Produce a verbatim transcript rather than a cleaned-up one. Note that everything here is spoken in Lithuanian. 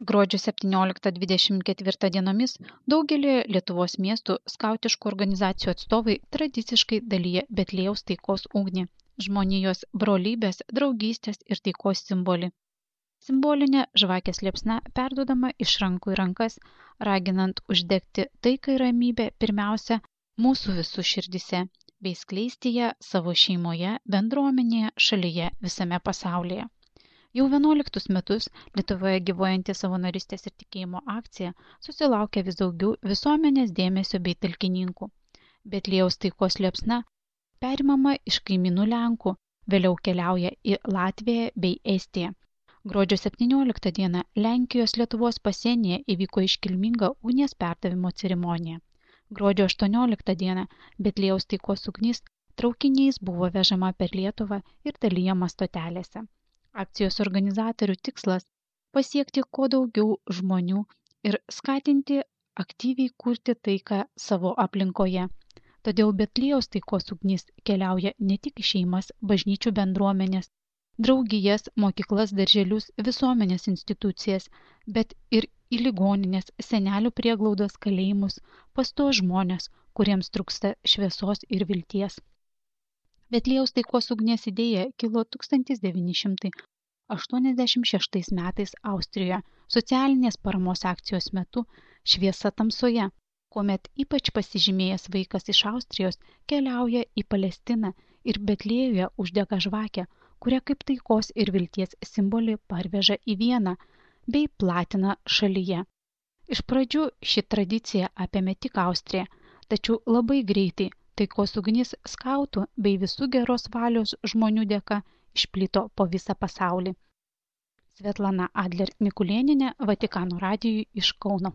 Gruodžio septynioliktą dvidešimt ketvirtą dienomis daugelį Lietuvos miestų skautiškų organizacijų atstovai tradiciškai dalyja Betliejaus taikos ugnį, žmonijos brolybės, draugystės ir taikos simbolį. Simbolinė žvakės liepsna perduodama iš rankų į rankas, raginant uždegti taiką ir ramybę pirmiausia mūsų visų širdise, bei skleisti ją savo šeimoje, bendruomenėje, šalyje, visame pasaulyje. Jau vienuoliktus metus Lietuvoje gyvuojanti savanorystės ir tikėjimo akcija susilaukia vis daugiau visuomenės dėmesio bei talkininkų. Betliejaus taikos liepsna perimama iš kaimynų Lenkų, vėliau keliauja į Latviją bei Estiją. Gruodžio septynioliktą dieną Lenkijos Lietuvos pasienyje įvyko iškilminga ugnies perdavimo ceremonija. Gruodžio aštuonioliktą dieną Betliejaus taikos ugnis traukiniais buvo vežama per Lietuvą ir dalijama stotelėse. Akcijos organizatorių tikslas – pasiekti kuo daugiau žmonių ir skatinti aktyviai kurti taiką savo aplinkoje. Todėl Betliejaus taikos ugnis keliauja ne tik į šeimas, bažnyčių bendruomenės, draugijas, mokyklas, darželius, visuomenės institucijas, bet ir į ligoninės, senelių prieglaudos, kalėjimus, pas tuos žmonės, kuriems trūksta šviesos ir vilties. Betliejaus taikos ugnies idėja kilo tūkstantis devyni šimtai aštuoniasdešimt šeštais metais Austrijoje socialinės paramos akcijos metu Šviesa tamsoje, kuomet ypač pasižymėjęs vaikas iš Austrijos keliauja į Palestiną ir Betliejuje uždega žvakę, kurią kaip taikos ir vilties simbolį parveža į Vieną bei platina šalyje. Iš pradžių ši tradicija apėmė tik Austriją, tačiau labai greitai taikos ugnis skautų bei visų geros valios žmonių dėka išplito po visą pasaulį. Svetlana Adler Mikulėnienė, Vatikano radijui iš Kauno.